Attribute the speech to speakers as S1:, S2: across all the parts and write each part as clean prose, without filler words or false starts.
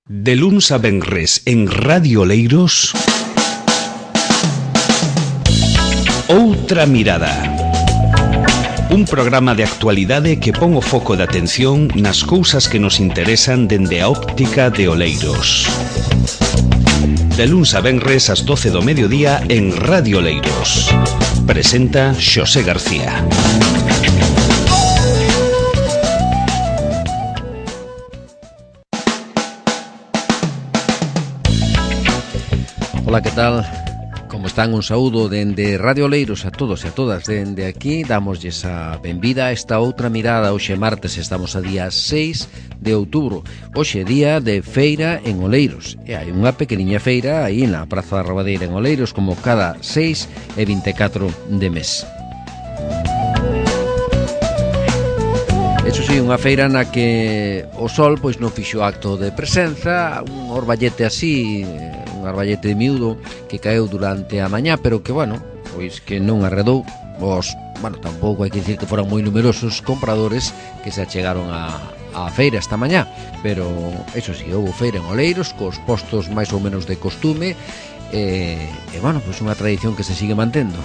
S1: De luns a venres en Radio Oleiros, Outra Mirada. Un programa de actualidade que pon o foco de atención nas cousas que nos interesan dende a óptica de Oleiros. De luns a venres ás 12 do mediodía en Radio Oleiros. Presenta Xosé García.
S2: Ola, que tal? Como están? Un saúdo dende Radio Oleiros a todos e a todas. Dende aquí damosles a benvida a esta outra mirada. Hoxe martes estamos a día 6 de outubro. Hoxe día de feira en Oleiros. E hai unha pequeniña feira aí na Praza da Rabadeira en Oleiros, como cada 6 e 24 de mes. Eso sí, unha feira na que o sol pois non fixo acto de presenza, un orballete así, un orballete de miúdo que caeu durante a mañá, pero que, bueno, pois que non arredou os, bueno, tampouco hai que dicir que foran moi numerosos compradores que se achegaron a feira esta mañá, pero eso sí, houve feira en Oleiros cos postos máis ou menos de costume e bueno, pois unha tradición que se sigue mantendo.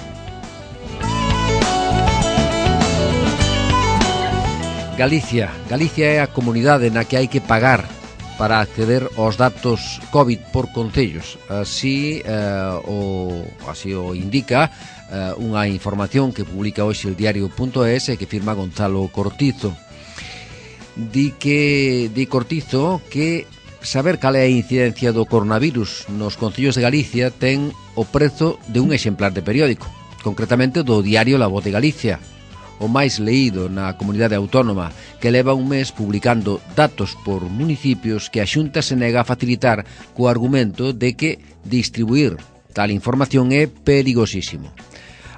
S2: Galicia é a comunidade na que hai que pagar para acceder aos datos COVID por concellos. Así o indica unha información que publica hoxe el diario.es e que firma Gonzalo Cortizo. Di Cortizo que saber cal é a incidencia do coronavirus nos concellos de Galicia ten o prezo de un exemplar de periódico, concretamente do diario La Voz de Galicia, o máis leído na comunidade autónoma, que leva un mes publicando datos por municipios que a Xunta se nega a facilitar co argumento de que distribuir tal información é perigosísimo.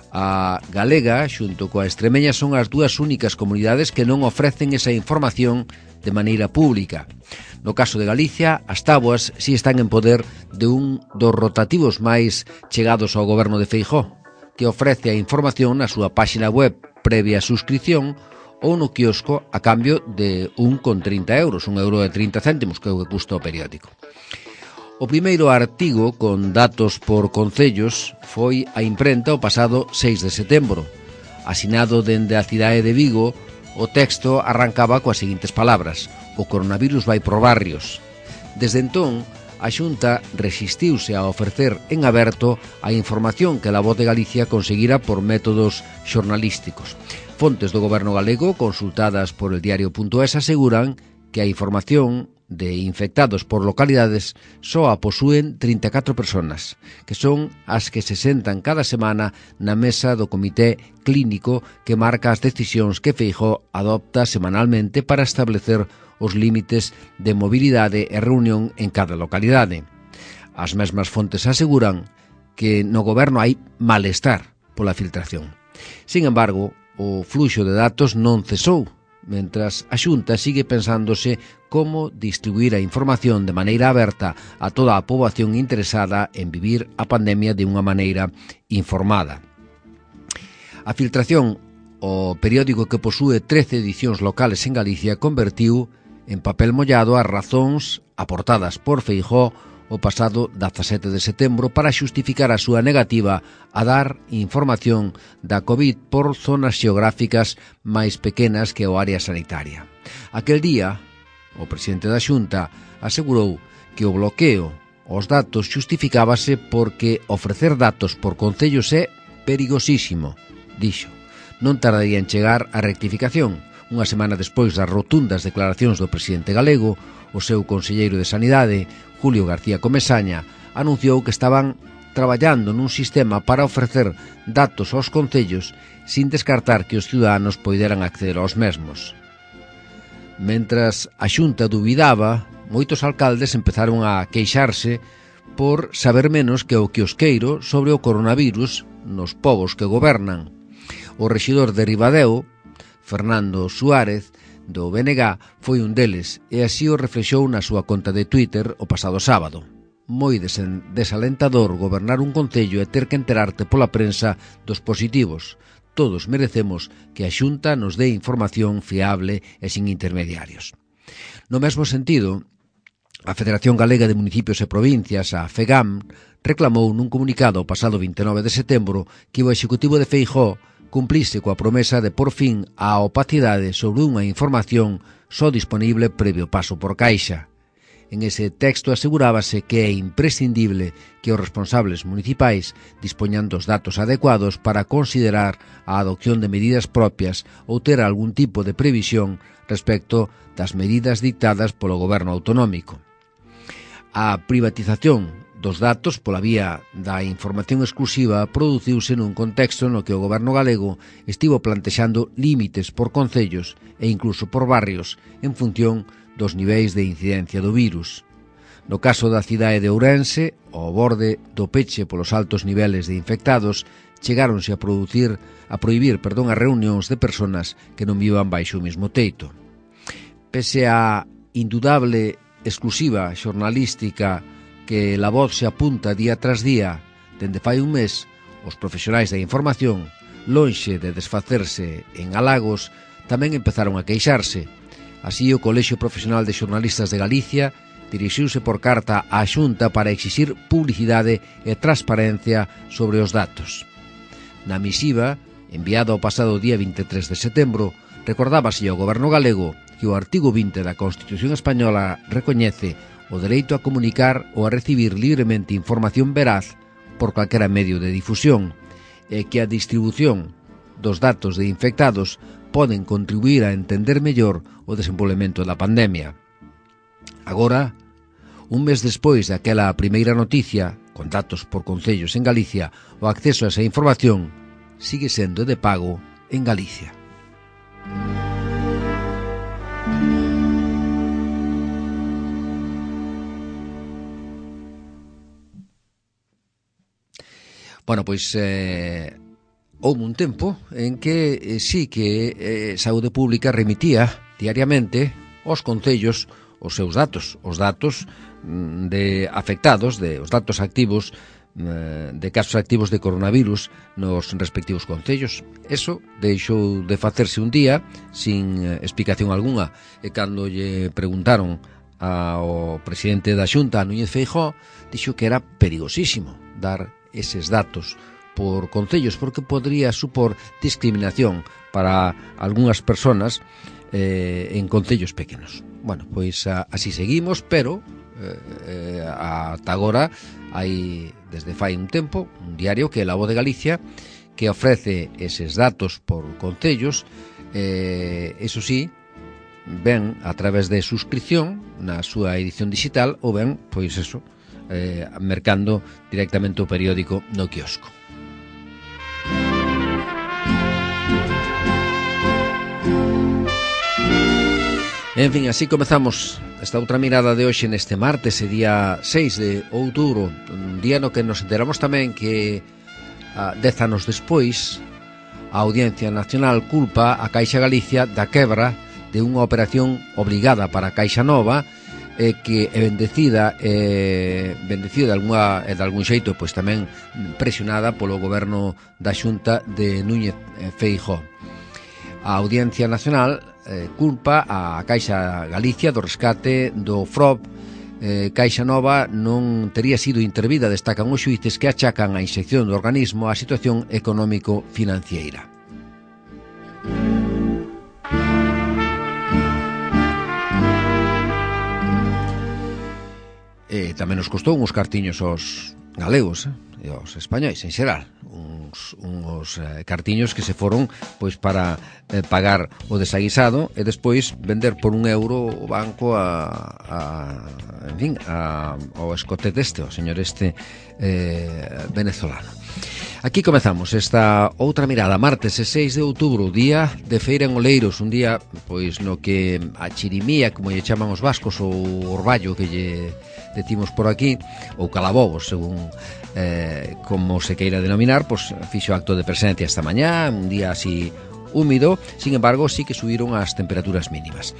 S2: A galega, xunto coa extremeña, son as dúas únicas comunidades que non ofrecen esa información de maneira pública. No caso de Galicia, as táboas si están en poder de un dos rotativos máis chegados ao goberno de Feijóo, que ofrece a información na súa páxina web previa suscripción ou no quiosco a cambio de 1,30 euros, 1 euro e 30 céntimos, que é o que custa o periódico. O primeiro artigo con datos por concellos foi a imprenta o pasado 6 de setembro. Asinado dende a cidade de Vigo, o texto arrancaba coas seguintes palabras: o coronavirus vai por barrios. Desde entón, a Xunta resistiuse a ofrecer en aberto a información que La Voz de Galicia conseguira por métodos xornalísticos. Fontes do goberno galego consultadas por el diario.es aseguran que a información de infectados por localidades só a posúen 34 personas, que son as que se sentan cada semana na mesa do comité clínico que marca as decisións que Feijóo adopta semanalmente para establecer os límites de mobilidade e reunión en cada localidade. As mesmas fontes aseguran que no goberno hai malestar pola filtración. Sin embargo, o fluxo de datos non cesou, mentras a Xunta sigue pensándose como distribuir a información de maneira aberta a toda a poboación interesada en vivir a pandemia de unha maneira informada. A filtración, o periódico que posúe 13 edicións locales en Galicia, convertiu en papel mollado as razóns aportadas por Feijóo o pasado 17 de setembro para xustificar a súa negativa a dar información da COVID por zonas xeográficas máis pequenas que o área sanitaria. Aquel día, o presidente da Xunta asegurou que o bloqueo aos datos xustificábase porque ofrecer datos por concellos é perigosísimo, dixo. Non tardaría en chegar a rectificación. Unha semana despois das rotundas declaracións do presidente galego, o seu conselleiro de Sanidade, Julio García Comesaña, anunciou que estaban traballando nun sistema para ofrecer datos aos concellos sin descartar que os ciudadanos poideran acceder aos mesmos. Mentras a Xunta dubidaba, moitos alcaldes empezaron a queixarse por saber menos que o quiosqueiro sobre o coronavirus nos povos que gobernan. O rexidor de Ribadeo, Fernando Suárez, do BNG, foi un deles e así o reflexou na súa conta de Twitter o pasado sábado. Moi desalentador gobernar un concello e ter que enterarte pola prensa dos positivos. Todos merecemos que a Xunta nos dé información fiable e sin intermediarios. No mesmo sentido, A Federación Galega de Municipios e Provincias, a FEGAM, reclamou nun comunicado o pasado 29 de setembro que o Executivo de Feijóo cumplise coa promesa de por fin a opacidade sobre unha información só disponible previo paso por Caixa. En ese texto asegurábase que é imprescindible que os responsables municipais dispoñan dos datos adecuados para considerar a adopción de medidas propias ou ter algún tipo de previsión respecto das medidas dictadas polo goberno autonómico. A privatización dos datos pola vía da información exclusiva produciuse nun contexto no que o goberno galego estivo plantexando límites por concellos e incluso por barrios en función dos niveis de incidencia do virus. No caso da cidade de Ourense, ao borde do peche polos altos niveles de infectados, chegáronse a prohibir as reunións de persoas que non vivan baixo o mesmo teito. Pese a indudable exclusiva xornalística que La Voz se apunta día tras día dende fai un mes, os profesionais da información, lonxe de desfacerse en halagos, tamén empezaron a queixarse. Así, o Colexio Profesional de Xornalistas de Galicia dirixiuse por carta á Xunta para exixir publicidade e transparencia sobre os datos. Na misiva, enviada o pasado día 23 de setembro, recordábase ao goberno galego que o artigo 20 da Constitución Española recoñece o dereito a comunicar ou a recibir libremente información veraz por calquera medio de difusión e que a distribución dos datos de infectados poden contribuir a entender mellor o desenvolvemento da pandemia. Agora, un mes despois daquela primeira noticia, con datos por concellos en Galicia, o acceso a esa información sigue sendo de pago en Galicia. Bueno, pois houve un tempo en que sí que Saúde Pública remitía diariamente aos concellos os seus datos, os datos de afectados, os datos activos de casos activos de coronavirus nos respectivos concellos. Eso deixou de facerse un día sin explicación algunha, e cando lle preguntaron ao presidente da Xunta, Núñez Feijóo, dixo que era perigosísimo dar eses datos por concellos porque podría supor discriminación para algunhas persoas en concellos pequenos. Bueno, pois así seguimos, pero ata agora hai desde fai un tempo un diario que é La Voz de Galicia que ofrece eses datos por concellos, eso sí, ben a través de suscripción na súa edición digital ou ben, pois eso, mercando directamente o periódico no quiosco. En fin, así comezamos esta outra mirada de hoxe neste martes, día 6 de outubro, un día no que nos enteramos tamén que 10 anos despois a Audiencia Nacional culpa a Caixa Galicia da quebra de unha operación obrigada para a Caixa Nova que é bendecida de algún xeito pois tamén presionada polo goberno da Xunta de Núñez Feijóo. A Audiencia Nacional culpa a Caixa Galicia do rescate do FROB. Caixa Nova non tería sido intervida, destacan os xuíces que achacan a inxección do organismo á situación económico-financiera. Tamén nos costou uns cartiños aos galegos e aos españois en xeral, uns cartiños que se foron pois para pagar o desaguisado e despois vender por €1 o banco ao escote ao señor venezolano. Aquí comezamos esta outra mirada, martes 6 de outubro, día de feira en Oleiros, un día pois no que a chirimía, como lle chaman os vascos, ou orballo que lle decimos por aquí, ou calabobos, según como se queira denominar, pois fixo acto de presencia esta mañá, un día así húmido, sin embargo, sí que subiron as temperaturas mínimas.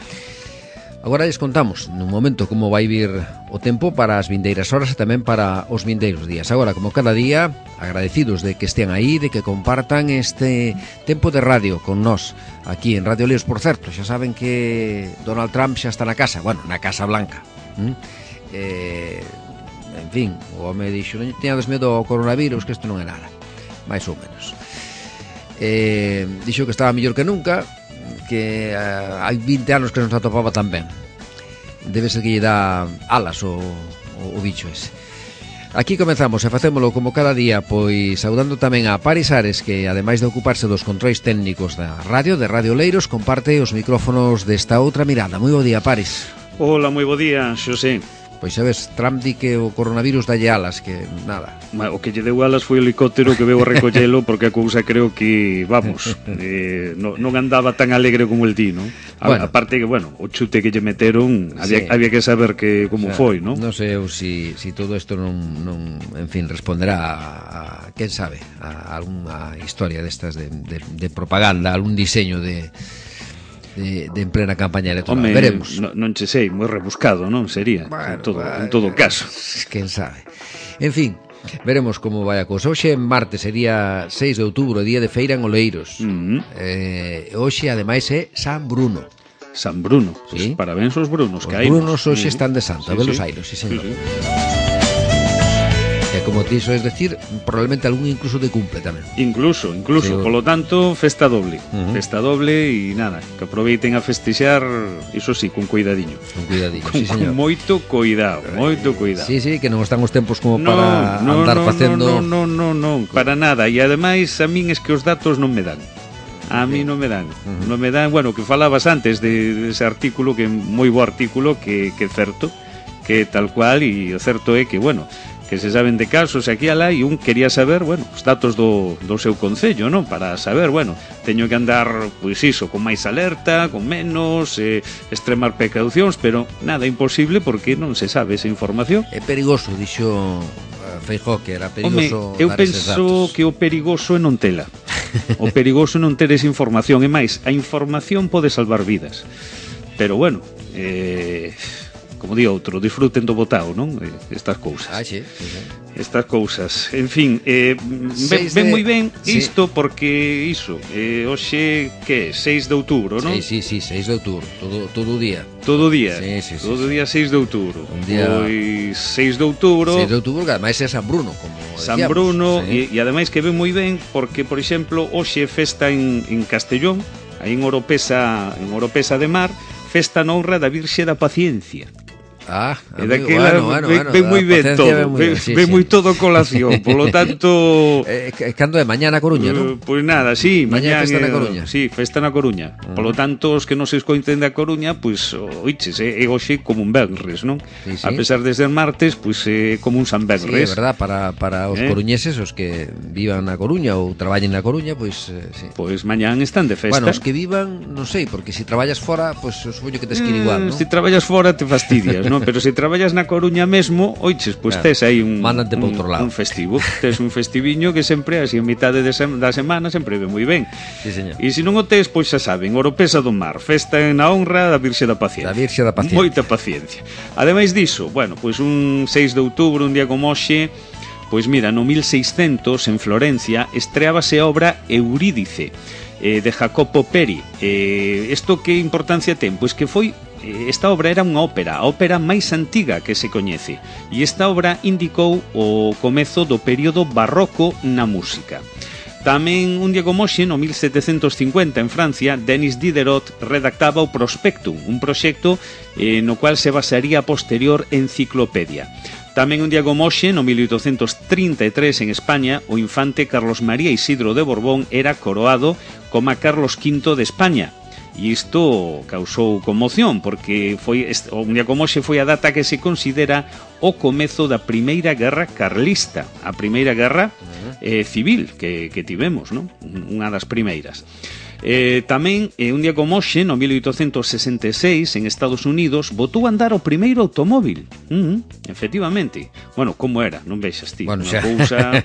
S2: Agora les contamos nun momento como vai vir o tempo para as vindeiras horas e tamén para os vindeiros días. Agora, como cada día, agradecidos de que estean aí, de que compartan este tempo de radio con nós aquí en Radio Leos. Por certo, xa saben que Donald Trump xa está na casa, bueno, na Casa Blanca. en fin, o home dixo, non teñades medo ao coronavirus, que isto non é nada, máis ou menos. Dixo que estaba mellor que nunca, que hai 20 anos que non se atopaba tan ben. Debe ser que lle dá alas o bicho ese. Aquí comenzamos e facémolo como cada día, pois saudando tamén a Paris Ares, que ademais de ocuparse dos controis técnicos da radio, de Radio Oleiros, comparte os micrófonos desta outra mirada. Moi bo día, Paris.
S3: Hola, moi bo día, Xosé.
S2: Pois sabes, Trump di que o coronavirus dalle alas, que nada.
S3: O que lle deu alas foi o helicóptero que veu a recollelo, porque a cousa creo que, vamos, non andaba tan alegre como el di, non? Bueno, aparte que, bueno, o chute que lle meteron, había que saber que como foi, non?
S2: Non sei eu si todo isto non, en fin, responderá a quen sabe, a algunha historia destas de propaganda, algún diseño de en plena campaña electoral.
S3: Home,
S2: veremos.
S3: Non che sei, moi rebuscado, non sería, bueno, en todo caso.
S2: Quen sabe. En fin, veremos como vai a cousa. Hoxe martes sería 6 de outubro, día de feira en Oleiros. Hoxe ademais é San Bruno.
S3: San Bruno,
S2: sí.
S3: Pues parabéns aos Brunos que hai.
S2: Os Brunos hoxe están de santo, a velos ailos, sí, señor. E como ti soes decir, probablemente algún incluso de cumple tamén. Incluso,
S3: sí, polo tanto, festa doble. Festa doble e nada, que aproveiten a festexar, iso sí, con cuidadiño.
S2: Con cuidadiño, sí, señor.
S3: Con moito cuidado, moito cuidado.
S2: Sí, que non están os tempos como para andar facendo...
S3: Non, para nada. E ademais, a min es que os datos non me dan. A mí non me dan. Non me dan, bueno, que falabas antes de ese artículo, que é moi bo artículo, que é certo, que tal cual, e o certo é que, bueno, que se saben de casos aquí alá, e un quería saber, bueno, os datos do seu concello, non? Para saber, bueno, teño que andar, pois iso, con máis alerta, con menos, extremar precaucións, pero nada, imposible, porque non se sabe esa información.
S2: É perigoso, dixo Feijóo, que era perigoso.
S3: Home, eu penso que o perigoso é non tela. O perigoso é non ter esa información, e máis, a información pode salvar vidas. Pero bueno, como di outro, disfruten do botao, non? Estas cousas.
S2: Sí.
S3: Estas cousas. En fin, ven moi ben isto, porque iso, hoxe, que é? 6 de outubro, non?
S2: Sí, 6 de outubro, todo o día.
S3: Todo o día?
S2: Sí.
S3: Todo o día 6 de outubro.
S2: Un día...
S3: Pois 6 de outubro...
S2: 6 de outubro, que ademais é San Bruno, como decíamos.
S3: San Bruno, sí. E ademais que ven moi ben, porque, por exemplo, hoxe festa en Castellón, aí en Oropesa de Mar, festa na honra da Virxe da Paciencia.
S2: Amigo, bueno,
S3: ven moi ben todo, ven moi todo colación, polo tanto...
S2: Cando é? Mañá na Coruña, non?
S3: Pois nada, sí,
S2: mañá festa na Coruña.
S3: Sí, festa na Coruña. Polo tanto, os que non se escoiten da Coruña, pois, oiches, é hoxe como un venres, non?
S2: Sí.
S3: A pesar de ser martes, pois é como un San Venres.
S2: Sí, é verdad, para os coruñeses, os que vivan na Coruña ou traballen na Coruña, pois, sí.
S3: Pois mañán están de festa.
S2: Bueno, os que vivan, non sei, porque se traballas fora, pois, supoño que tes que ir igual, non?
S3: Se traballas fora te fastidias, non? Pero se traballas na Coruña mesmo, oiches, pois tes aí un festivo, tes un festiviño que sempre, así, en mitade da semana, sempre ve moi ben.
S2: Sí, señor.
S3: E se non o tes, pois xa saben, Oropesa do Mar, festa na honra da Virxe da Paciencia.
S2: Da Virxe da Paciencia.
S3: Moita paciencia. Ademais diso, bueno, pois un 6 de outubro, un día como hoxe, pois mira, no 1600, en Florencia, estreábase a obra Eurídice, de Jacopo Peri. Isto que importancia ten? Pois que foi... Esta obra era unha ópera, a ópera máis antiga que se coñece, e esta obra indicou o comezo do período barroco na música. Tamén un día como hoxe, no 1750, en Francia, Denis Diderot redactaba o Prospectum, un proxecto no cual se basaría a posterior enciclopedia. Tamén un día como hoxe, no 1833, en España, o infante Carlos María Isidro de Borbón era coroado como Carlos V de España. E isto causou conmoción, porque foi un día como hoxe foi a data que se considera o comezo da Primeira Guerra Carlista, a Primeira Guerra civil que tivemos, non? Unha das primeiras. Tamén, un día como hoxe, no 1866, en Estados Unidos, botou a andar o primeiro automóvil. Efectivamente. Bueno, como era? Non vexas ti.
S2: Bueno,
S3: unha cousa...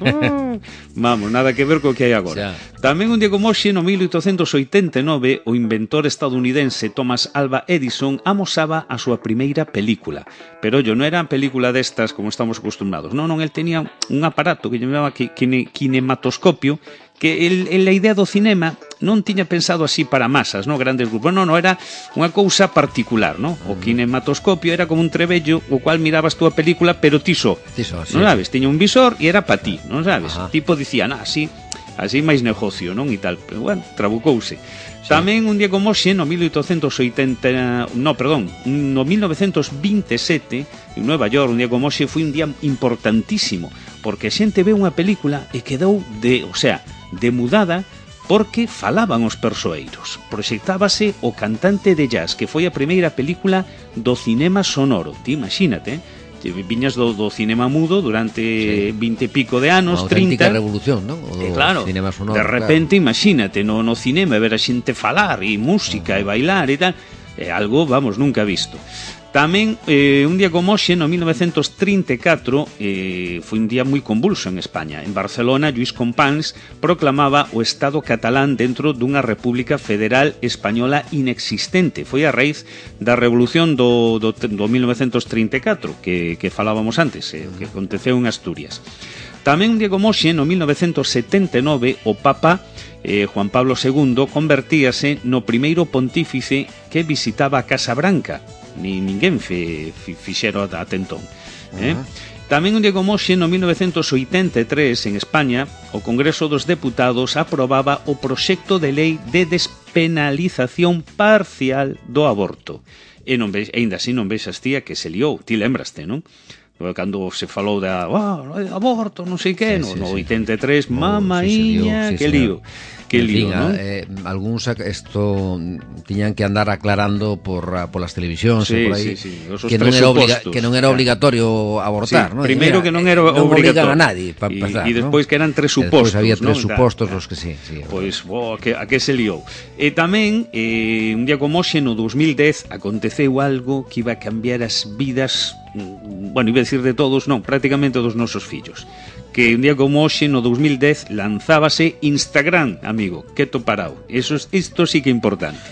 S3: vamos, nada que ver co que hai agora. Tamén un día como hoxe, no 1889, o inventor estadounidense Thomas Alva Edison amosaba a súa primeira película. Pero non era película destas como estamos acostumbrados. Non, el tenía un aparato que chamaba kinematoscopio, que a idea do cinema non tiña pensado así para masas, no, grandes grupos, non, era unha cousa particular, no? O kinematoscopio era como un trebello o cual mirabas tú a película, pero ti só, non sabes, tiña un visor e era pa ti, non sabes, tipo dicía, así máis negocio, non, e tal, pero bueno, trabucouse. Tamén un día como hoxe, no 1927, en Nueva York, un día como hoxe, foi un día importantísimo, porque a xente ve unha película e quedou demudada porque falaban os persoeiros. Proxectábase O cantante de jazz, que foi a primeira película do cinema sonoro. Ti imagínate, viñas do cinema mudo durante 20 e pico de anos, 30.
S2: Unha revolución, non?
S3: Claro, cinema sonoro, de repente, imagínate, no cinema ver a xente falar e música e bailar e tal, é algo, vamos, nunca visto. Tamén, un día como hoxe, no 1934, foi un día moi convulso en España. En Barcelona, Lluís Companys proclamaba o Estado catalán dentro dunha república federal española inexistente. Foi a raíz da revolución do 1934, que falábamos antes, que aconteceu en Asturias. Tamén un día como hoxe, no 1979, o Papa Juan Pablo II convertíase no primeiro pontífice que visitaba a Casa Branca. Ninguén fixero ata entón. Tamén un día como hoxe, no 1983, en España, o Congreso dos Deputados aprobaba o proxecto de lei de despenalización parcial do aborto. E ainda así non vexas, tía, que se liou. Ti lembraste, non? Cando se falou da aborto, non sei que, no 83, mamaíña, que lío. Que lío, ¿no?
S2: Algúns isto tiñan que andar aclarando por las televisións por aí, que non era obligatorio abortar, ¿no?
S3: Primeiro que non era obligatorio.
S2: Non obligan a nadie para empezar,
S3: e despois que eran tres supostos,
S2: había tres supostos os que sí.
S3: Pois, a que se liou. E tamén, un día como hoxe, no 2010, aconteceu algo que iba a cambiar as vidas, bueno, iba a decir de todos, non, prácticamente dos nosos fillos. Que un día como hoxe, no 2010, lanzábase Instagram, amigo, quieto parado. Isto sí que é importante.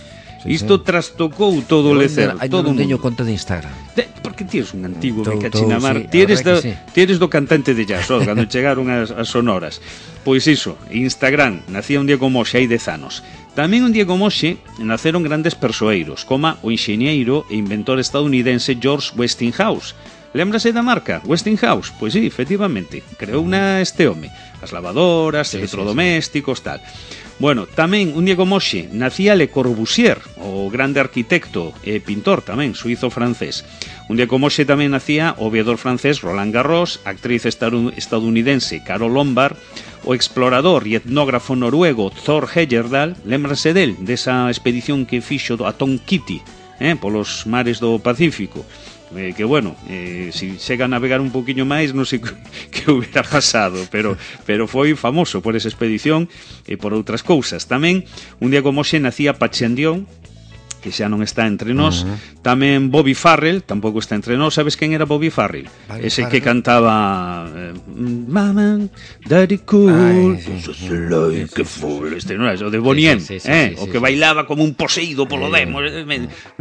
S3: Isto trastocou todo o lecer, todo o mundo.
S2: Non teño conta de Instagram.
S3: Porque tienes un antigo, me cachinamar. Tienes do cantante de jazz, cando chegaron as sonoras. Pois iso, Instagram, nacía un día como hoxe, hai 10 anos. Tamén un día como hoxe, naceron grandes persoeiros, como o enxeñeiro e inventor estadounidense George Westinghouse. Lémbrase da marca? Westinghouse? Pois sí, efectivamente, creou este home. As lavadoras, electrodomésticos, tal. Bueno, tamén, un día como hoxe, nacía Le Corbusier, o grande arquitecto e pintor tamén, suizo-francés. Un día como hoxe tamén nacía o aviador francés Roland Garros, actriz estadounidense Carol Lombard, o explorador e etnógrafo noruego Thor Heyerdahl. Lémbrase desa expedición que fixo a Tonquiti, polos mares do Pacífico. Que bueno, si chega a navegar un poquinho máis, non sei que hubiera pasado, pero foi famoso por esa expedición e por outras cousas. Tamén, un día como hoxe, nacía Pachandión, que xa non está entre nós. Tamén Bobby Farrell, tampouco está entre nós. Sabes quen era Bobby Farrell? Ese que cantaba Mama, Daddy Cool, que fool, non é? O de Bonnie M, o que bailaba como un poseído polo demo.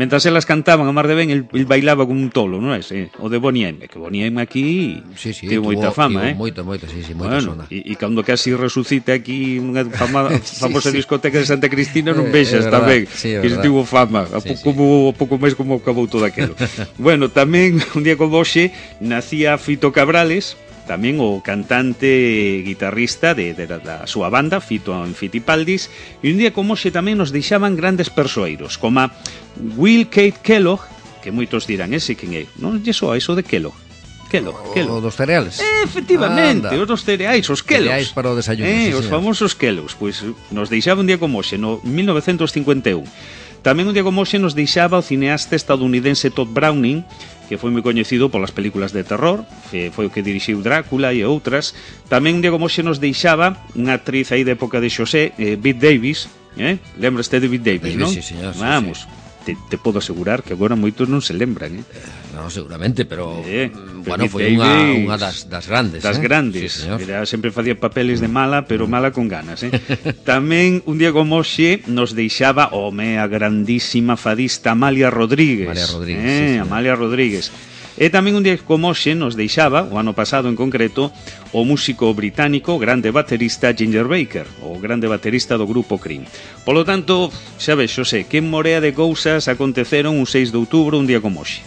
S3: Mentras elas cantaban a mar de ben, el bailaba como un tolo, non é? O de Bonnie M, que Bonnie M aquí tivo moita fama,
S2: moita, moita zona.
S3: E cando casi resucita aquí unha famosa discoteca de Santa Cristina, non vexas tamén, que se tivo fama. Pouco máis como acabou todo aquilo. Bueno, tamén un día como hoxe nacía Fito Cabrales, tamén o cantante guitarrista da súa banda, Fito and Fitipaldis. E un día como hoxe tamén nos deixaban grandes persoeiros, como Will Kate Kellogg, que moitos dirán, ese quen é? Non lle soa iso de Kellogg?
S2: O dos cereales.
S3: Efectivamente, os dos cereais, os Kellogg's.
S2: Cereais para o desayuno.
S3: Os famosos Kellogg's. Pois nos deixaba un día como hoxe, no 1951. Tamén un día como hoxe nos deixaba o cineasta estadounidense Todd Browning, que foi moi coñecido polas películas de terror, que foi o que dirixiu Drácula e outras. Tamén un día como hoxe nos deixaba unha actriz aí de época de Xosé, Bette Davis, lembraste de Bette Davis, non?
S2: Sí, señor.
S3: Vamos. Te podo asegurar que agora moitos non se lembran,
S2: Non, seguramente, pero bueno, foi unha das grandes.
S3: Das grandes.
S2: Sí,
S3: era, sempre facía papeles de mala, pero mala con ganas, Tamén, un día como hoxe, nos deixaba a grandísima fadista Amalia Rodríguez.
S2: Amalia Rodríguez.
S3: Amalia Rodríguez. E tamén un día como hoxe nos deixaba, o ano pasado en concreto, o músico británico, grande baterista Ginger Baker, o grande baterista do grupo Cream. Polo tanto, xa vexo, que morea de cousas aconteceron un 6 de outubro, un día como hoxe,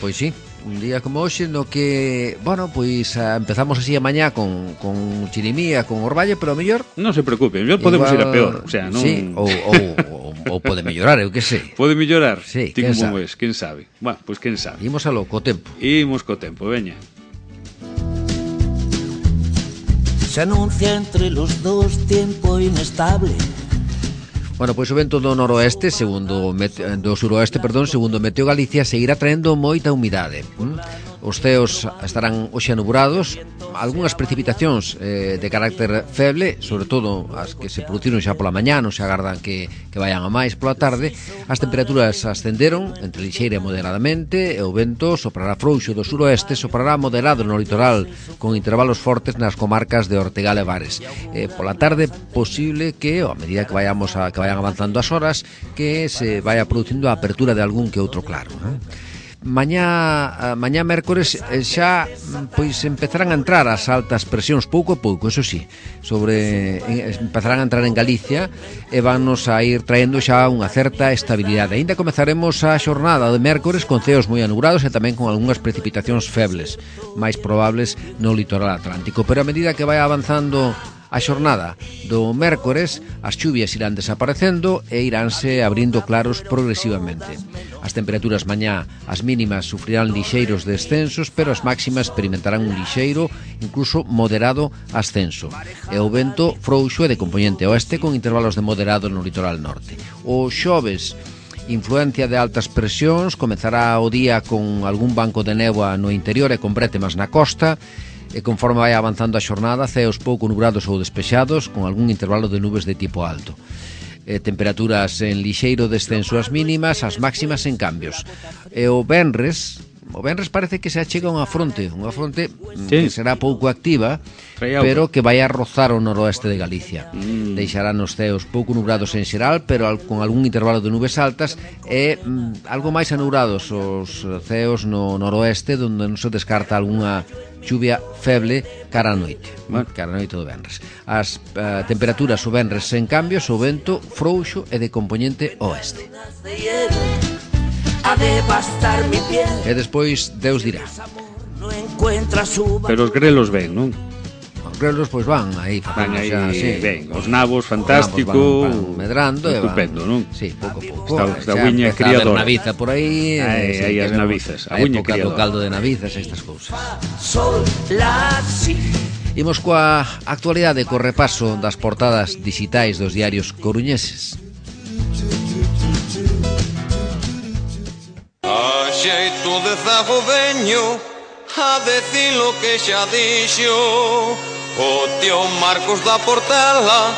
S2: Pois sí, un día como hoxe no que, bueno, pois empezamos así a mañá con chirimía, con orballo, pero a mellor
S3: non se preocupe, mellor podemos ir a peor, o sea, non...
S2: Sí, ou pode mellorar, eu que sei.
S3: Pode mellorar?
S2: Sí,
S3: quen sabe? Quen sabe? Bueno, pois quen sabe.
S2: Imos a lo co tempo.
S3: Imos co tempo, veña.
S4: Se anuncia entre los dos tiempo inestable.
S2: Bueno, pois o vento do noroeste, do suroeste, segundo Meteo Galicia, seguirá traendo moita humidade. Os ceos estarán hoxe anubrados, algunhas precipitacións de carácter feble, sobre todo as que se produciron xa pola mañá, non se agardan que vayan a máis pola tarde. As temperaturas ascenderon entre lixeira e moderadamente, e o vento soprará frouxo do suroeste, soprará moderado no litoral, con intervalos fortes nas comarcas de Ortegal e Vares. Pola tarde, posible que, a medida que vayan avanzando as horas, que se vaya producindo a apertura de algún que outro claro, Mañá mércores xa pois empezarán a entrar as altas presións pouco a pouco, eso sí, empezarán a entrar en Galicia e vannos a ir traendo xa unha certa estabilidade. Ainda comezaremos a xornada de mércores con ceos moi anubrados e tamén con algunhas precipitacións febles, máis probables no litoral atlántico, pero a medida que vai avanzando a xornada do mércores, as chuvias irán desaparecendo e iránse abrindo claros progresivamente. As temperaturas mañá, as mínimas sufrirán lixeiros descensos, pero as máximas experimentarán un lixeiro, incluso moderado ascenso. E o vento frouxo e de compoñente oeste con intervalos de moderado no litoral norte. O xoves, influencia de altas presións, comezará o día con algún banco de néboa no interior e con brétemas na costa, e conforme vai avanzando a xornada, ceos pouco nubrados ou despexados, con algún intervalo de nubes de tipo alto. Temperaturas en lixeiro descenso as mínimas, as máximas en cambios. E o venres parece que se achega unha fronte que será pouco activa, pero que vai a rozar o noroeste de Galicia. Deixarán os ceos pouco nubrados en xeral, pero con algún intervalo de nubes altas, e algo máis anubrados os ceos no noroeste, onde non se descarta algunha chuvia feble cara a noite, cara a noite do venres. As temperaturas o venres sen cambios, o vento frouxo e de compoñente oeste. E despois Deus dirá.
S3: Pero os grelos ven, non?
S2: Os grelos pois van aí,
S3: ben, os nabos fantástico,
S2: van medrando,
S3: estupendo, non?
S2: Sí, pouco a pouco.
S3: Esta uña criadora.
S2: Está naviza por aí,
S3: aí as navizas, a uña criadora.
S2: Do caldo de navizas, estas cousas. Imos coa actualidade, co repaso das portadas digitais dos diarios coruñeses.
S5: A xeito de zago veño a decir lo que xa dixo o tío Marcos da Portela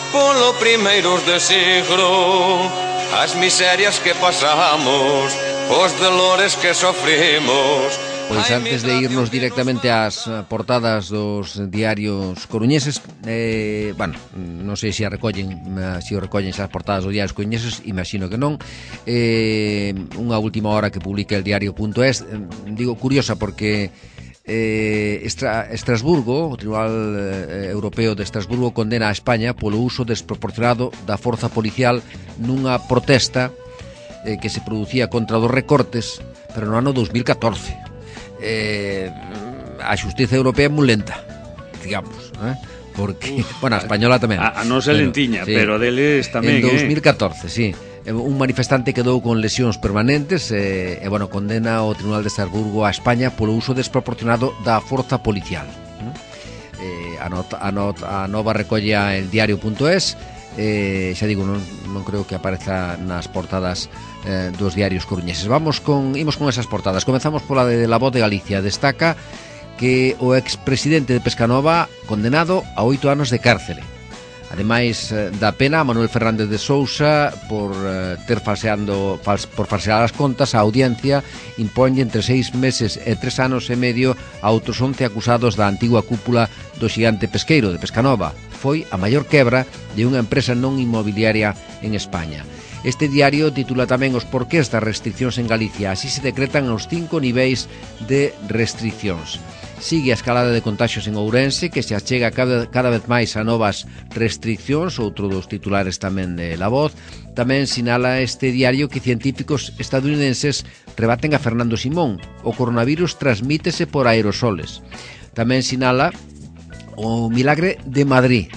S5: polo primeiros de siglo, as miserias que pasamos, os dolores que sofrimos.
S2: Pois antes de irnos directamente ás portadas dos diarios coruñeses, non sei se o recollen as portadas dos diarios coruñeses, imagino que non. Unha última hora que publica el diario.es, digo curiosa porque Estrasburgo, o Tribunal Europeo de Estrasburgo, condena a España polo uso desproporcionado da forza policial nunha protesta que se producía contra dos recortes, pero no ano 2014. A xustiza europea é moi lenta, digamos, porque, bueno, a española tamén.
S3: A nosa lentiña, sí, pero deles tamén.
S2: En 2014, sí. Un manifestante quedou con lesións permanentes e, condena o Tribunal de Estrasburgo a España polo uso desproporcionado da forza policial. A nova recolla el diario.es. Xa digo, non creo que apareza nas portadas dos diarios coruñeses. Imos con esas portadas. Comezamos pola de La Voz de Galicia. Destaca que o expresidente de Pescanova condenado a 8 anos de cárcere. Ademais da pena a Manuel Fernández de Sousa por falsear as contas, a audiencia imponlle entre 6 meses e 3 anos e medio a outros 11 acusados da antigua cúpula do xigante pesqueiro de Pescanova. Foi a maior quebra de unha empresa non inmobiliaria en España. Este diario titula tamén os porqués das restriccións en Galicia. Así se decretan os 5 niveis de restriccións. Sigue a escalada de contagios en Ourense, que se achega cada vez máis a novas restriccións, outro dos titulares tamén de La Voz. Tamén sinala este diario que científicos estadounidenses rebaten a Fernando Simón. O coronavirus transmítese por aerosoles. Tamén sinala o milagre de Madrid.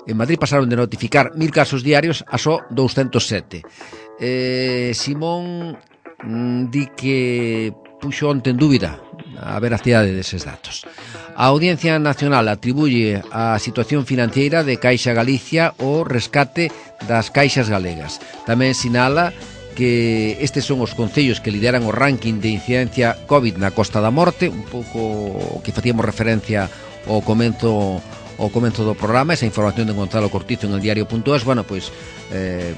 S2: En Madrid pasaron de notificar 1000 casos diarios a só 207. Simón di que puxo onte en dúbida a veracidade deses datos. A Audiencia Nacional atribuye a situación financiera de Caixa Galicia o rescate das caixas galegas. Tamén sinala que estes son os concellos que lideran o ranking de incidencia COVID na Costa da Morte, un pouco que facíamos referencia ao comenzo do programa. Esa información de Gonzalo Cortizo en el diario.es, bueno, pois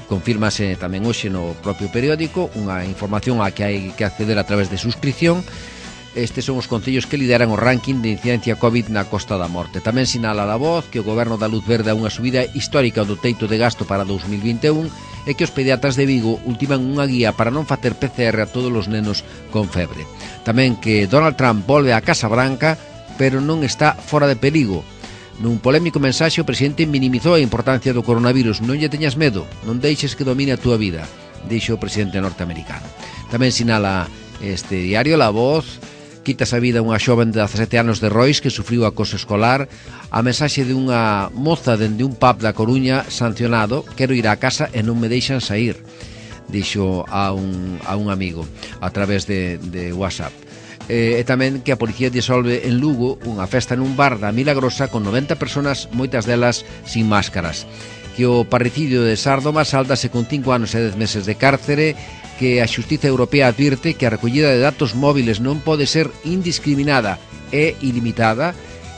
S2: confírmase tamén hoxe no propio periódico, unha información a que hai que acceder a través de suscripción. Estes son os concellos que lideran o ranking de incidencia COVID na Costa da Morte. Tamén sinala La Voz que o Goberno dá luz verde a unha subida histórica do teito de gasto para 2021 e que os pediatras de Vigo ultiman unha guía para non facer PCR a todos os nenos con febre. Tamén que Donald Trump volve á Casa Branca, pero non está fora de perigo. Nun polémico mensaxe o presidente minimizou a importancia do coronavirus. Non lle teñas medo, non deixes que domine a túa vida, dixo o presidente norteamericano. Tamén sinala este diario La Voz, quitas a vida unha xoven de 17 anos de Rois que sufriu acoso escolar. A mensaxe de unha moza dende un pub da Coruña sancionado: quero ir á casa e non me deixan sair, dixo a un amigo a través de WhatsApp. E tamén que a policía disolve en Lugo unha festa nun bar da Milagrosa con 90 personas, moitas delas sin máscaras. Que o parricidio de Sárdoma sáldase con 5 anos e 10 meses de cárcere. Que a Xustiza Europea advirte que a recollida de datos móviles non pode ser indiscriminada e ilimitada.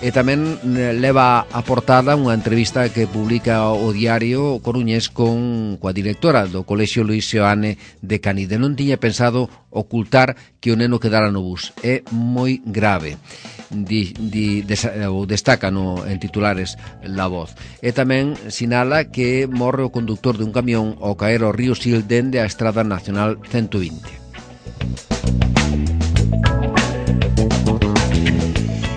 S2: E tamén leva a portada unha entrevista que publica o diario coruñés coa directora do Colexio Luis Seoane de Canide. Non tiña pensado ocultar que o neno quedara no bus. É moi grave, destaca en titulares La Voz. E tamén sinala que morre o conductor de un camión ao caer ao río Sil dende a Estrada Nacional 120.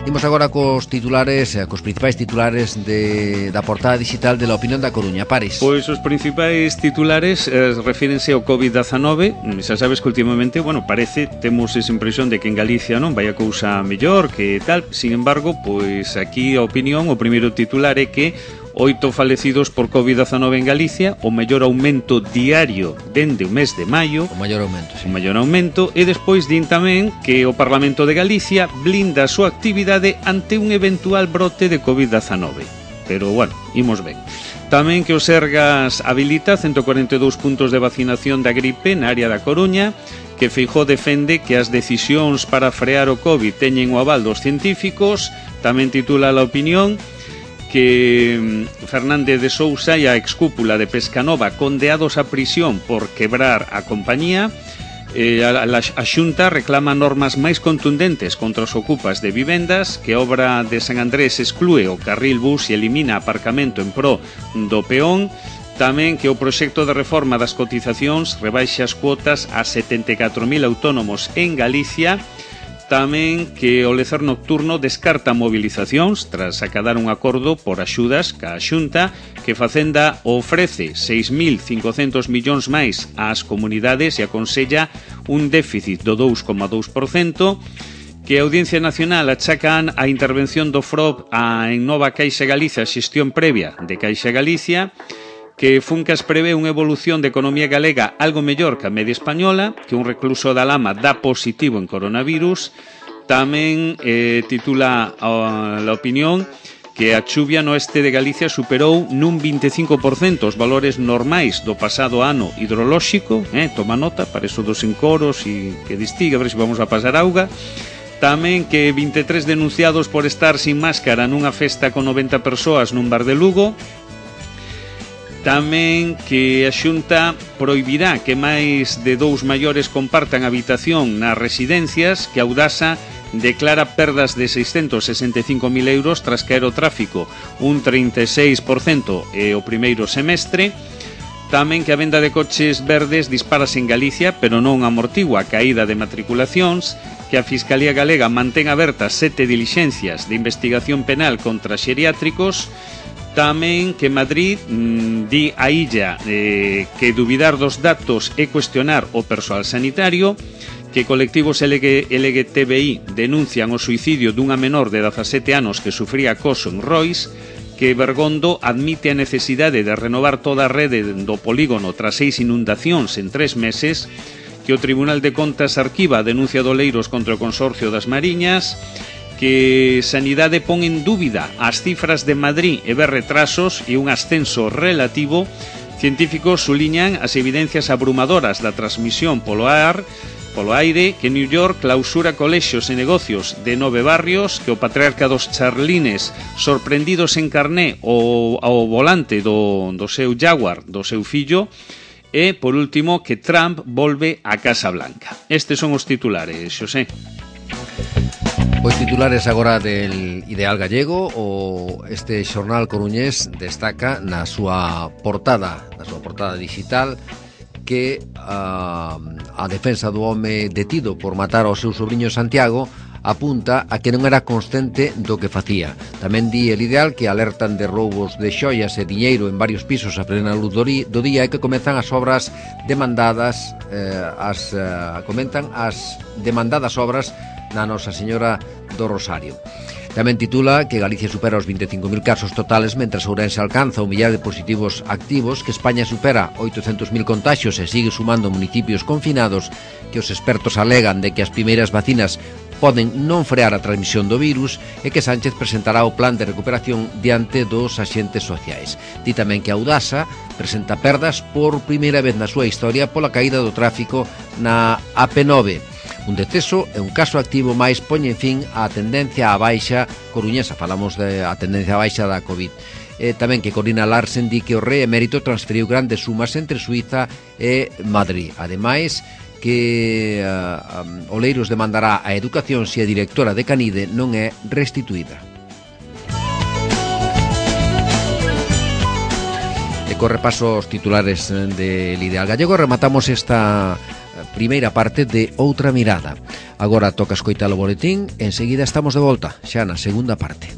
S2: Imos agora cos principais titulares da portada digital de La Opinión da Coruña. Pares.
S3: Pois os principais titulares refírense ao COVID-19. Xa sabes que últimamente, temos esa impresión de que en Galicia non vai a cousa mellor, que tal. Sin embargo, pois aquí a opinión, o primeiro titular é que 8 falecidos por COVID-19 en Galicia, o mellor aumento diario dende o mes de maio.
S2: O maior aumento, sí.
S3: O maior aumento. E despois din tamén que o Parlamento de Galicia blinda a súa actividade ante un eventual brote de COVID-19. Pero, imos ben. Tamén que o Sergas habilita 142 puntos de vacinación da gripe na área da Coruña, que Feijóo defende que as decisións para frear o COVID teñen o aval dos científicos. Tamén titula La Opinión que Fernández de Sousa e a excúpula de Pescanova condeados a prisión por quebrar a compañía. A Xunta reclama normas máis contundentes contra os ocupas de vivendas, que a obra de San Andrés exclúe o carril bus e elimina aparcamento en pro do peón. Tamén que o proxecto de reforma das cotizacións rebaixa as cuotas a 74.000 autónomos en Galicia. Tamén que o lecer nocturno descarta movilizacións tras acadar un acordo por axudas ca Xunta, que Facenda ofrece 6.500 millóns máis ás comunidades e aconsella un déficit do 2,2%, que a Audiencia Nacional achacan a intervención do FROB en Nova Caixa Galicia, xestión previa de Caixa Galicia, que Funcas prevé unha evolución de economía galega algo mellor que a media española, que un recluso da Lama dá positivo en coronavirus. Tamén titula La Opinión que a chuvia no este de Galicia superou nun 25% os valores normais do pasado ano hidrolóxico. Toma nota para eso dos encoros e que distiga, a ver se vamos a pasar auga. Tamén que 23 denunciados por estar sin máscara nunha festa con 90 persoas nun bar de Lugo. Tamén que a Xunta prohibirá que máis de 2 maiores compartan habitación nas residencias, que a Audasa declara perdas de 665.000 euros tras caer o tráfico un 36% o primeiro semestre. Tamén que a venda de coches verdes disparase en Galicia, pero non amortigua a caída de matriculacións, que a Fiscalía Galega mantén abertas 7 dilixencias de investigación penal contra xeriátricos. Tamén que Madrid di a Illa que dubidar dos datos é cuestionar o persoal sanitario, que colectivos LGTBI denuncian o suicidio dunha menor de 17 anos que sufría acoso en Rois, que Bergondo admite a necesidade de renovar toda a rede do polígono tras 6 inundacións en 3 meses, que o Tribunal de Contas arquiva a denuncia de Oleiros contra o Consorcio das Mariñas, que Sanidade pon en dúbida as cifras de Madrid e ve retrasos e un ascenso relativo. Científicos suliñan as evidencias abrumadoras da transmisión polo aire, que New York clausura colexios e negocios de 9 barrios, que o patriarca dos Charlines sorprendidos en carné ao volante do seu Jaguar, do seu fillo, e, por último, que Trump volve á Casa Blanca. Estes son os titulares, Xosé.
S2: Pois titulares agora del Ideal Gallego. Este xornal coruñés destaca na súa portada digital, que a defensa do home detido por matar ao seu sobrinho Santiago apunta a que non era consciente do que facía. Tamén di El Ideal que alertan de roubos de xoias e diñeiro en varios pisos a plena luz do día, e que comezan as obras demandadas, comentan as demandadas obras na Nosa Señora do Rosario. Tamén titula que Galicia supera os 25.000 casos totales, mentras Ourense alcanza o millar de positivos activos, que España supera 800.000 contaxios e sigue sumando municipios confinados, que os expertos alegan de que as primeiras vacinas poden non frear a transmisión do virus, e que Sánchez presentará o plan de recuperación diante dos axentes sociais. Di tamén que Audasa presenta perdas por primeira vez na súa historia pola caída do tráfico na AP9. Un deceso e un caso activo máis poñen fin á tendencia á baixa coruñesa. Falamos da tendencia á baixa da COVID. Tamén que Corina Larsen di que o rei emérito transferiu grandes sumas entre Suiza e Madrid. Ademais, que Oleiros demandará a educación se a directora de Canide non é restituída. E co repaso aos titulares del Ideal Gallego rematamos esta primeira parte de Outra Mirada. Agora toca escoitar o boletín, enseguida estamos de volta, xa na segunda parte.